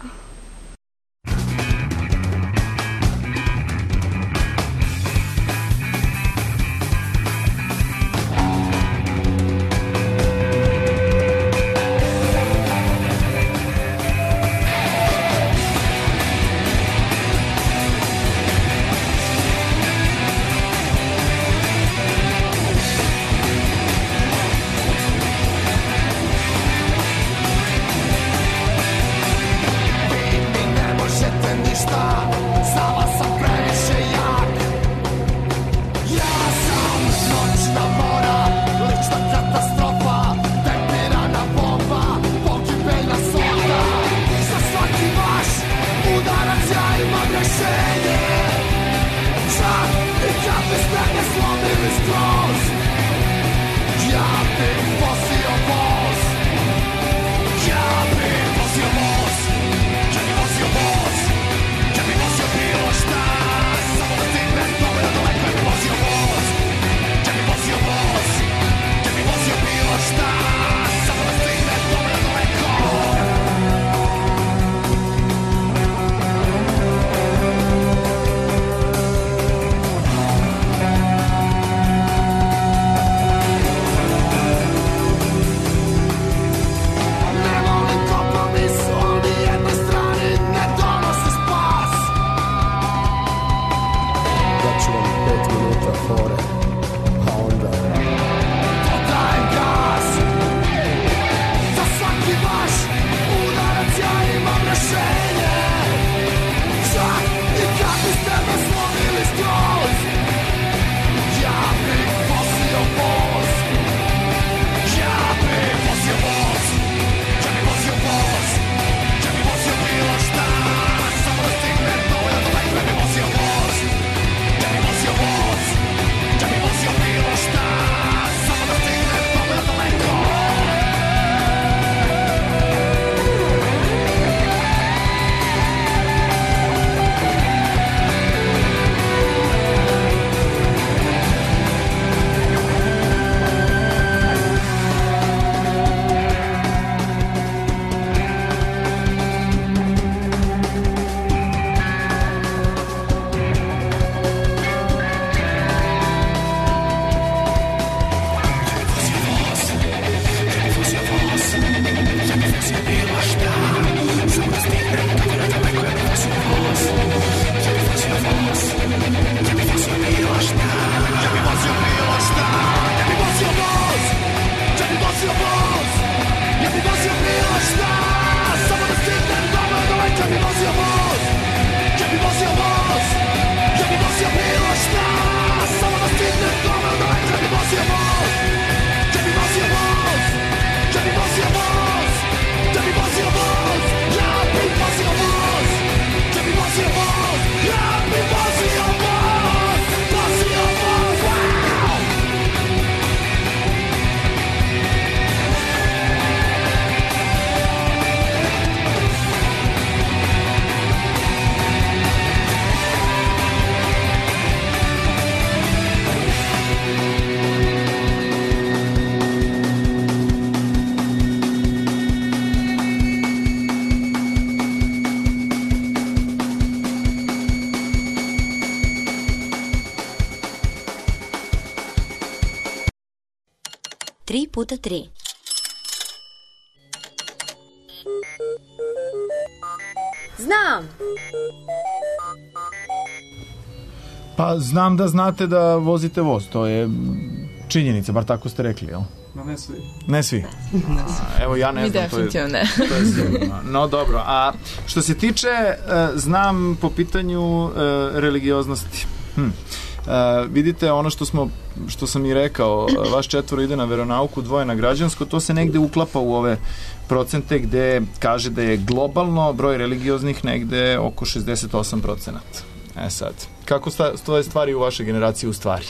3x3. Znam. Pa znam da znate da vozite voz, to je činjenica, bar tako ste rekli, jel? No, ne svi. Ne svi? Evo ja ne znam. Mi definitivno ne. To je sigurno. No dobro, a što se tiče, znam po pitanju religioznosti. Vidite, ono što sam i rekao, vaš 4 ide na veronauku, 2 na građansko, to se negde uklapa u ove procente gde kaže da je globalno broj religioznih negde oko 68%. Sad, kako stoje stvari u vašoj generaciji u stvari?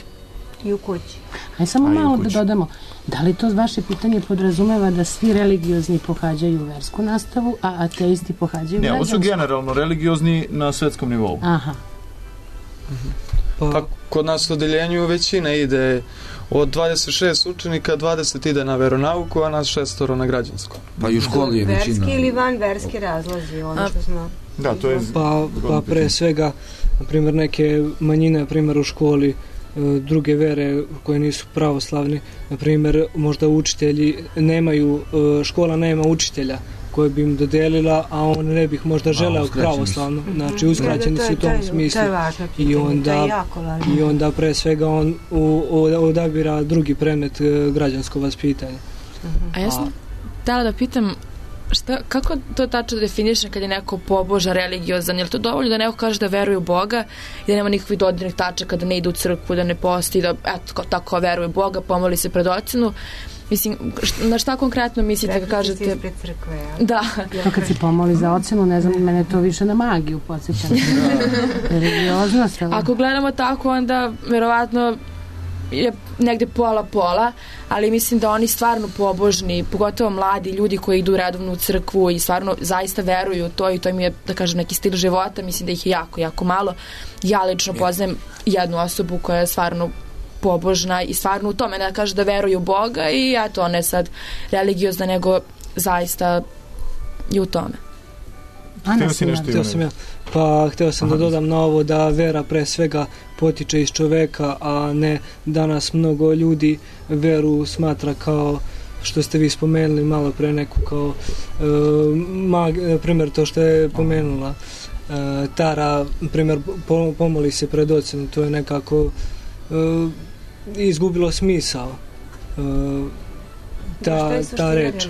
I u kući. Aj samo malo da dodamo, da li to vaše pitanje podrazumeva da svi religiozni pohađaju versku nastavu, a ateisti pohađaju građansku? Ne, ovo su generalno religiozni na svetskom nivou. Aha. Pa kod nas u odeljenju većina ide od 26 učenika, 20 ide na veronauku, a nas 6 na građansko. Pa i u školi je većina. Verski ili van verski razlozi, ono što smo... Da, to je... Pa pre svega, na primjer, neke manjine, na primjer u školi, druge vere koje nisu pravoslavne, na primjer, možda učitelji nemaju, škola nema učitelja koje bi im dodelila, a on ne bih možda želeo pravoslavno. Znači, uskraćeni su u tom smislu. I onda pre svega on odabira drugi predmet građansko vaspitanje. A ja sam htjela da pitam, kako to tačno definiše kad je neko pobožan, religiozan? Je li to dovoljno da neko kaže da veruje u Boga i da nema nikakvih dodirnih tačaka, da ne ide u crkvu, da ne posti, da eto, tako veruje u Boga, pomoli se pred ocenu? Mislim, na šta konkretno mislite kad kažete... Rekli ispred crkve, ja? Da. To kad se pomoli za ocenu, ne znam, mene to više na magiju podsjeća. Religioznost. Ako gledamo tako, onda verovatno je negde pola, ali mislim da oni stvarno pobožni, pogotovo mladi ljudi koji idu redovno u crkvu i stvarno zaista veruju u to i to im je, da kažem, neki stil života, mislim da ih je jako, jako malo. Ja lično poznajem jednu osobu koja je stvarno pobožna i stvarno u tome, da kaže da veruje u Boga i eto, ona je sad religiozna, nego zaista i u tome. Hteo sam da dodam na ovo da vera pre svega potiče iz čoveka, a ne danas mnogo ljudi veru smatra kao što ste vi spomenuli malo pre neku kao primjer to što je pomenula Tara, primjer pomoli se pred ocenu, to je nekako izgubilo smisao ta reč.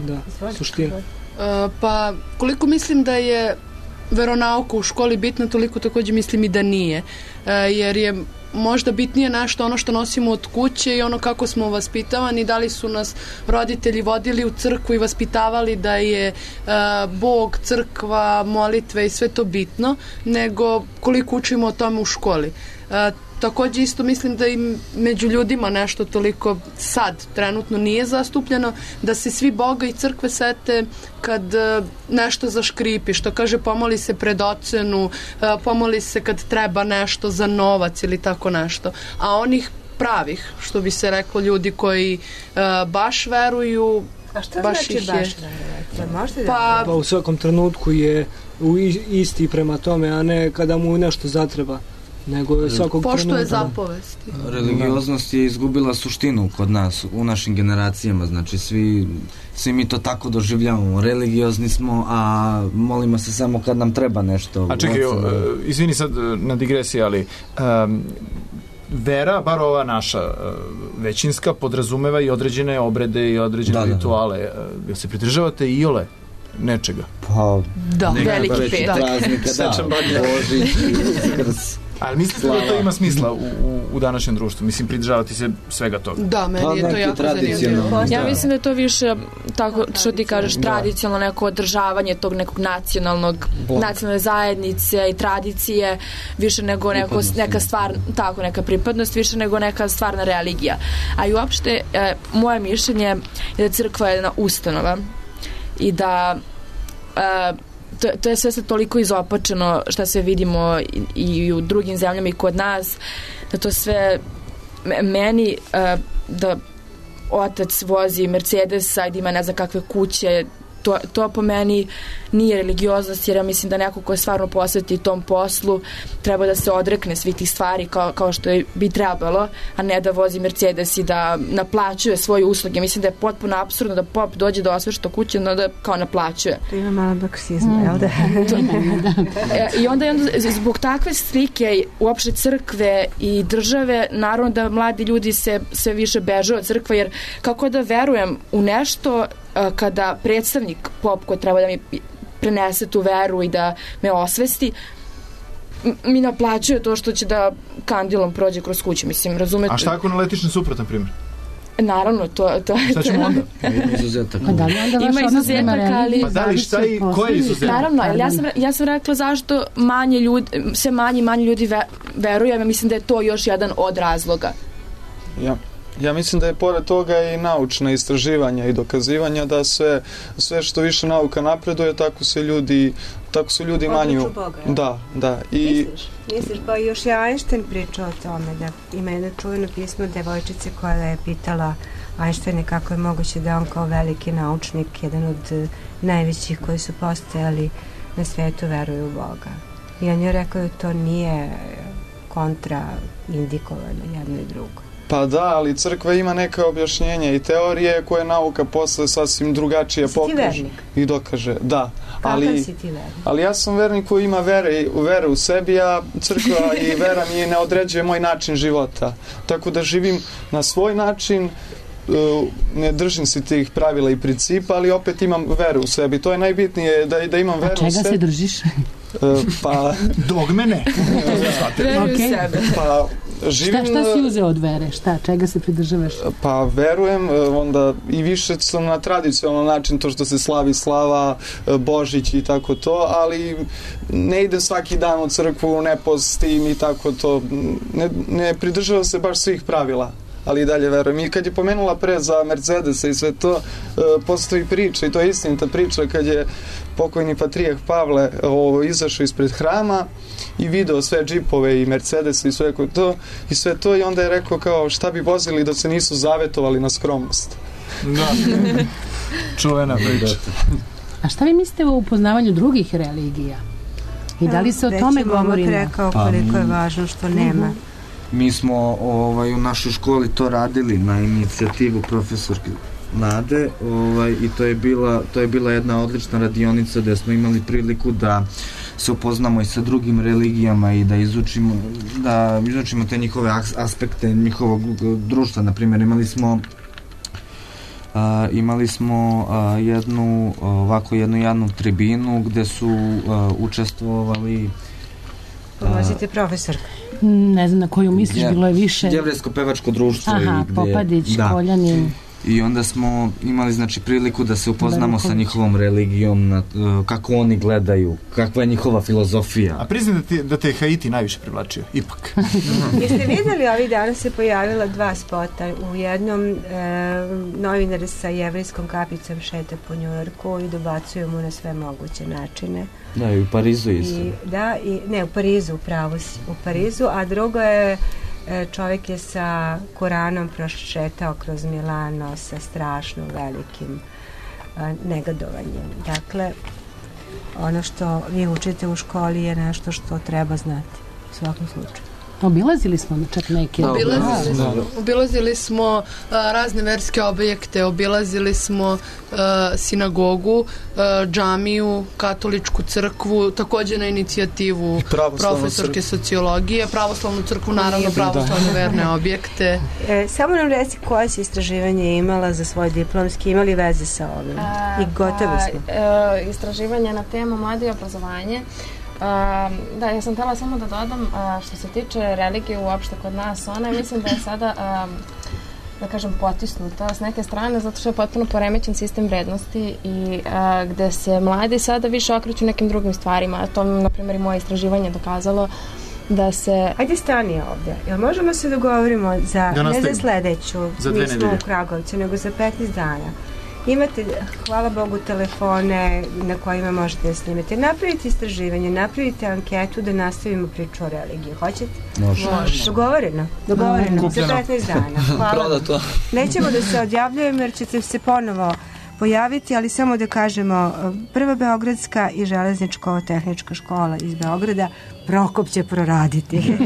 Da, suština. Pa koliko mislim da je veronauka u školi bitna, toliko također mislim i da nije, jer je možda bitnije nešto ono što nosimo od kuće i ono kako smo vaspitavani, da li su nas roditelji vodili u crkvu i vaspitavali da je Bog, crkva, molitve i sve to bitno, nego koliko učimo o tome u školi. Također isto mislim da i među ljudima nešto toliko sad trenutno nije zastupljeno, da se svi Boga i crkve sete kad nešto zaškripi, što kaže pomoli se pred ocenu, pomoli se kad treba nešto za novac ili tako nešto. A onih pravih, što bi se reklo, ljudi koji baš veruju, a šta baš znači ih baš je. Pa u svakom trenutku je isti prema tome, a ne kada mu nešto zatreba. Nego svakog poštuje zapovesti. Religioznost je izgubila suštinu kod nas, u našim generacijama, znači svi mi to tako doživljavamo, religiozni smo, a molimo se samo kad nam treba nešto. A čekaj, izvini sad na digresiji, ali vera, bar ova naša većinska, podrazumeva i određene obrede i određene rituale. Jel se pridržavate iole nečega? Pa, da, veliki petak. Sečan Božić, Uskrs. Ali mislite da to ima smisla u današnjem društvu? Mislim, pridržavati se svega toga. Da, meni je to jako zanimljivo. Ja mislim da je to više, tako što ti kažeš, tradicionalno neko održavanje tog nekog nacionalne zajednice i tradicije, više nego neka stvar, tako, neka pripadnost, više nego neka stvarna religija. A i uopšte, moje mišljenje je da crkva je jedna ustanova i da to je sve sad toliko izopačeno šta sve vidimo i u drugim zemljama i kod nas, da to sve meni da otac vozi Mercedesa i da ima ne znam kakve kuće, to po meni nije religioznost, jer ja mislim da neko ko stvarno posveti tom poslu treba da se odrekne svih tih stvari kao što bi trebalo, a ne da vozi Mercedes i da naplaćuje svoje usluge. Mislim da je potpuno apsurdno da pop dođe da osvešta kuće, no da kao naplaćuje. To ima malo marksizma, jel da? I onda zbog takve slike uopšte crkve i države, naravno da mladi ljudi se sve više beže od crkve, jer kako da verujem u nešto kada predstavnik pop koji treba da mi prenese tu veru i da me osvesti mi naplaćuje to što će da kandilom prođe kroz kuću, mislim, razumete? A šta ako naletiš na suprotan primjer? Naravno, to šta ćemo onda? Ima izuzetak, ali... Pa da li, šta i ko je izuzetak? Naravno, ali ja sam rekla zašto sve manje ljudi veruju, ja mislim da je to još jedan od razloga. Ja mislim da je pored toga i naučna istraživanja i dokazivanja da sve što više nauka napreduje, tako su ljudi manji. Da. Misliš, pa još je Einstein pričao o tome, da ima jedno čuveno pismo devojčice koja je pitala Einsteina kako je moguće da on kao veliki naučnik, jedan od najvećih koji su postojali na svetu, veruje u Boga. I on je rekao da to nije kontraindikovano jedno i drugo. Pa da, ali crkva ima neke objašnjenja i teorije koje nauka posle sasvim drugačije pokaže i dokaže. Da. Kakav si ti vernik? Ali ja sam vernik koji ima vere u sebi, a crkva i vera mi ne određuje moj način života. Tako da živim na svoj način, ne držim se tih pravila i principa, ali opet imam veru u sebi. To je najbitnije, da imam veru u sebi. A čega se držiš? Pa... Dogmene. Veruju u sebe. Pa... Šta si uzeo od vere? Čega se pridržavaš? Pa verujem, onda i više sam na tradicionalan način, to što se slavi slava, Božić i tako to, ali ne idem svaki dan u crkvu, ne postim i tako to. Ne pridržavam se baš svih pravila, ali i dalje verujem. I kad je pomenula pre za Mercedesa i sve to, postoji priča, i to je istinita priča, kad je pokojni patrijah Pavle izašao ispred hrama i video sve džipove i Mercedese i sve to i onda je rekao kao šta bi vozili da se nisu zavetovali na skromnost. Da. Čuvena priča. A šta vi mislite o upoznavanju drugih religija? I da li se o tome govorimo? Već je rekao koliko je važno što nema. Mi smo u našoj školi to radili na inicijativu profesorke Nade i to je bila jedna odlična radionica gde smo imali priliku da se upoznamo i sa drugim religijama i da izučimo te njihove aspekte njihovog društva. Naprimjer, imali smo jednu javnu tribinu gde su učestvovali Pomozite profesor. Ne znam na koju misliš, bilo je više. Jevrejsko-pevačko društvo. Popadić, Koljanin. I onda smo imali priliku da se upoznamo sa njihovom religijom, kako oni gledaju, kakva je njihova filozofija. A priznam da te Haiti najviše privlačio, ipak. Jeste vidjeli, ovih dana se pojavila 2 spota. U jednom novinar sa jevrejskom kapicom šeta po Njujorku i dobacuju mu na sve moguće načine. Da, i u Parizu isto. U Parizu, upravo si. U Parizu, a drugo je čovjek je sa Koranom prošetao kroz Milano sa strašno velikim negodovanjem. Dakle, ono što vi učite u školi je nešto što treba znati u svakom slučaju. Obilazili smo čak neke. Obilazili smo razne verske objekte, obilazili smo sinagogu, džamiju, katoličku crkvu, također na inicijativu profesorke sociologije, pravoslavnu crkvu, naravno pravoslavne verne objekte. Samo nam reci koje si istraživanje imala za svoj diplomski, imali veze sa ovim? I gotovi smo. Istraživanje na temu mladi i obrazovanje. Da, ja sam htjela samo da dodam što se tiče religije uopšte kod nas, ona mislim da je sada da kažem potisnuta s neke strane zato što je potpuno poremećen sistem vrednosti i gde se mladi sada više okreću nekim drugim stvarima, a to na primjer i moje istraživanje dokazalo da se... Ajde stani ovdje, jel možemo se dogovorimo ne za sledeću, mi smo u Kragovcu, nego za 15 dana. Imate, hvala Bogu, telefone na kojima možete da snimete. Napravite istraživanje, napravite anketu da nastavimo priču o religiji. Hoćete? Može. Dogovoreno. Za 15 dana. Hvala. Nećemo da se odjavljujemo jer ćete se ponovo pojaviti, ali samo da kažemo, Prva beogradska i železničko-tehnička škola iz Beograda, Prokop će proraditi.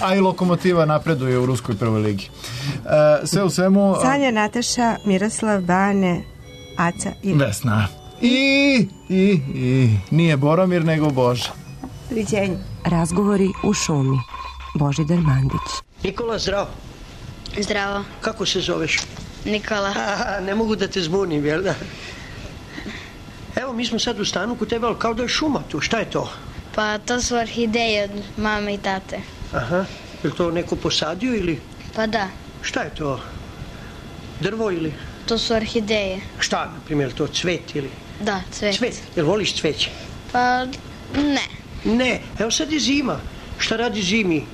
A i Lokomotiva napreduje u Ruskoj prvoj ligi. Sve u svemu... Sanja, Nataša, Miroslav, Bane, Aca i... Vesna. I nije Boromir, nego Boža. Doviđenja. Razgovori u šumi. Božidar Mandić. Nikola, zdravo. Zdravo. Kako se zoveš? Nikola. Ne mogu da te zbunim, jel da? Evo, mi smo sad u stanu kod tebe, ali kao da je šuma tu. Šta je to? Pa to su orhideje od mame i tate. Aha. Je li to neko posadio ili? Pa da. Šta je to? Drvo ili? To su orhideje. Šta, na primjer, to cvet ili? Da, cvet. Cvet, jel voliš cveće? Pa, ne. Ne, evo sad je zima. Šta radi zimi?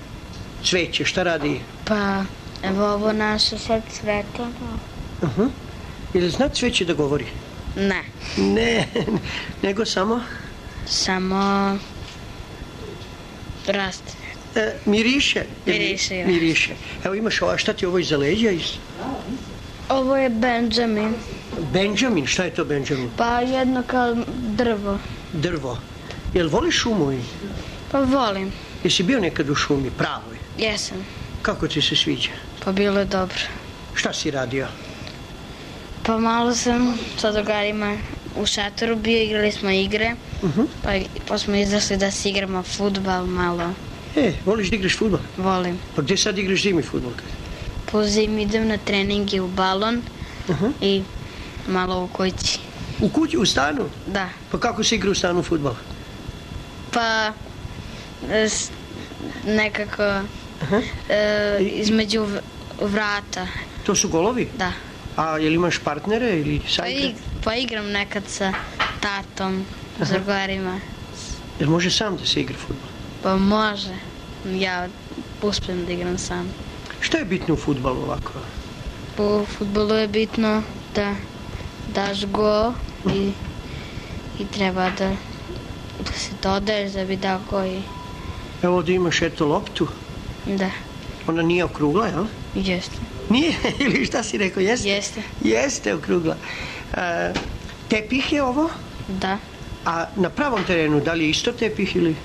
Cveće, šta radi? Pa, evo ovo naše sad cveta. Uh-huh. Jel zna cveće da govori? Ne. Ne, nego samo? Samo raste. Miriše? Miriše, ja. Miriše. Evo imaš ovo, šta ti ovo iza leđa? Ovo je Benjamin. Benjamin, šta je to Benjamin? Pa jedno kao drvo. Drvo. Jel voliš šumu? Pa volim. Jesi bio nekad u šumi, pravoj? Jesam. Kako ti se sviđa? Pa bilo je dobro. Šta si radio? Pa malo sam sa drugarima u šatoru bio, igrali smo igre. Pa smo izašli da se igramo fudbal malo. Voliš da igraš fudbal? Volim. Pa gdje sad igraš zimi fudbal? Po zimi idem na treninge u balon i malo u kući. U kući, u stanu? Da. Pa kako se igra u stanu fudbal? Pa nekako između vrata. To su golovi? Da. A jel imaš partnere ili sajte? Pa igram nekad sa tatom, s drugarima. Jel može sam da se igra fudbal? Pa može. Ja uspijem da igram sam. Šta je bitno u fudbalu ovako? U fudbalu je bitno da daš go i treba da se dodaješ da bi dao go i... Evo ovdje imaš eto loptu. Da. Ona nije okrugla, jel? Jeste. Nije? Ili šta si rekao? Jeste? Jeste. Jeste okrugla. Tepih je ovo? Da. A na pravom terenu, da li je isto tepih ili?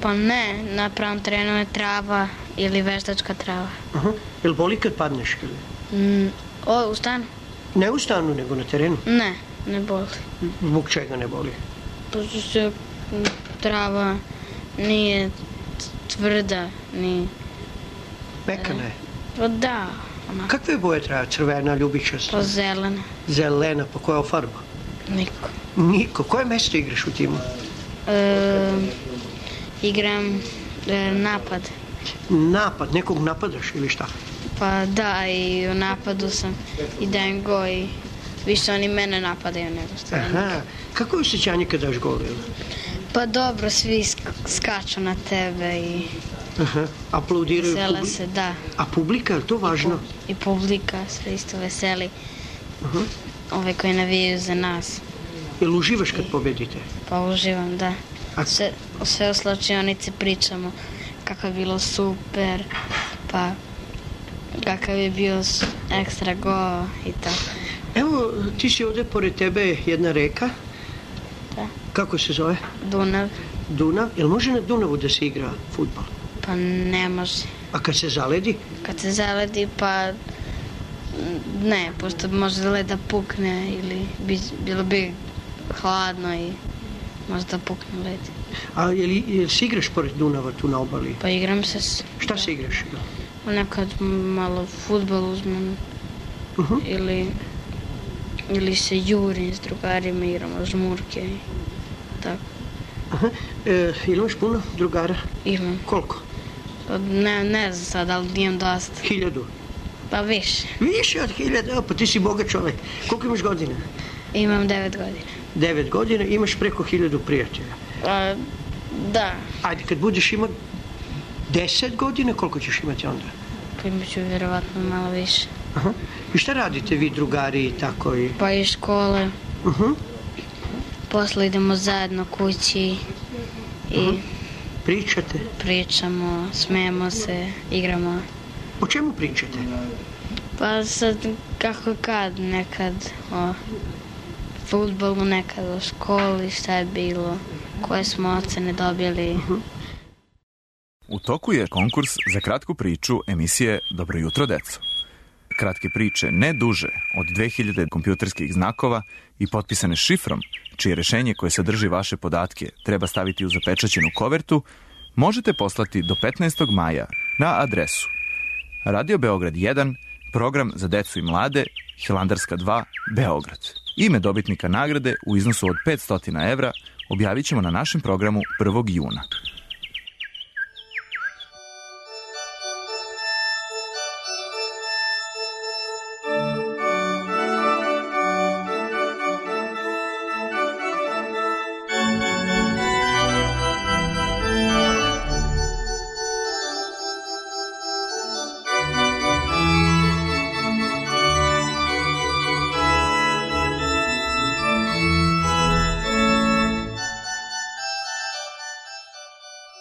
Pa ne, na pravom terenu je trava ili veštačka trava. Jel boli kad padneš ili? U stanu? Ne u stanu, nego na terenu? Ne, ne boli. Zbog čega ne boli? Pošto se trava nije tvrda, ni... Mekana je? Pa da. Kakve boje trava? Crvena, ljubičasta? Pa zelena. Zelena, pa koja je farba? Niko. Niko. Koje mesto igraš u timu? Igram napad. Napad? Nekog napadaš ili šta? Pa da, i u napadu sam i dajem go i više oni mene napadaju nego stvarno. Aha. Kako je osjećanje kad daš gol? Pa dobro, svi skaču na tebe i... Aplaudiraju vesele se, da. A publika, je to važno? I publika se isto veseli. Ove koji navijaju za nas. Jel uživaš kad pobedite? Pa uživam, da. Sve u slačionici pričamo kako je bilo super, pa kakav je bio ekstra go i tako. Evo, ti si ovdje pored tebe jedna reka. Da. Kako se zove? Dunav. Dunav? Jel može na Dunavu da se igra fudbal? Pa ne može. A kad se zaledi? Kad se zaledi, pa ne, pošto može led da pukne ili bilo bi hladno i možda pukne led. A jel si igraš pored Dunava tu na obali? Pa igram se. Šta se igraš? Nekad malo fudbal uzmem ili se jurim s drugarima, igramo žmurke i tako. Imaš puno drugara? Imam. Koliko? Pa ne znam sad, ali imam dosta. 1000? Pa više. Više od 1000? Pa ti si bogat čovjek. Koliko imaš godina? Imam 9 godina. 9 godina, imaš preko 1000 prijatelja? Da. Ajde, kad budeš imao 10 godina, koliko ćeš imati onda? Pa imat ću vjerovatno malo više. I šta radite vi drugari i tako? Pa iz škole. Posle idemo zajedno kući i... Pričate? Pričamo, smijemo se, igramo. O čemu pričate? Pa sad, kako kad, nekad o fudbalu, nekada u školi, šta je bilo, koje smo ocene dobili. U toku je konkurs za kratku priču emisije Dobro jutro, deco. Kratke priče ne duže od 2000 kompjuterskih znakova i potpisane šifrom, čije rešenje koje sadrži vaše podatke treba staviti u zapečaćenu kovertu, možete poslati do 15. maja na adresu Radio Beograd 1, program za decu i mlade, Hilandarska 2, Beograd. Ime dobitnika nagrade u iznosu od 500 evra objavit ćemo na našem programu 1. juna.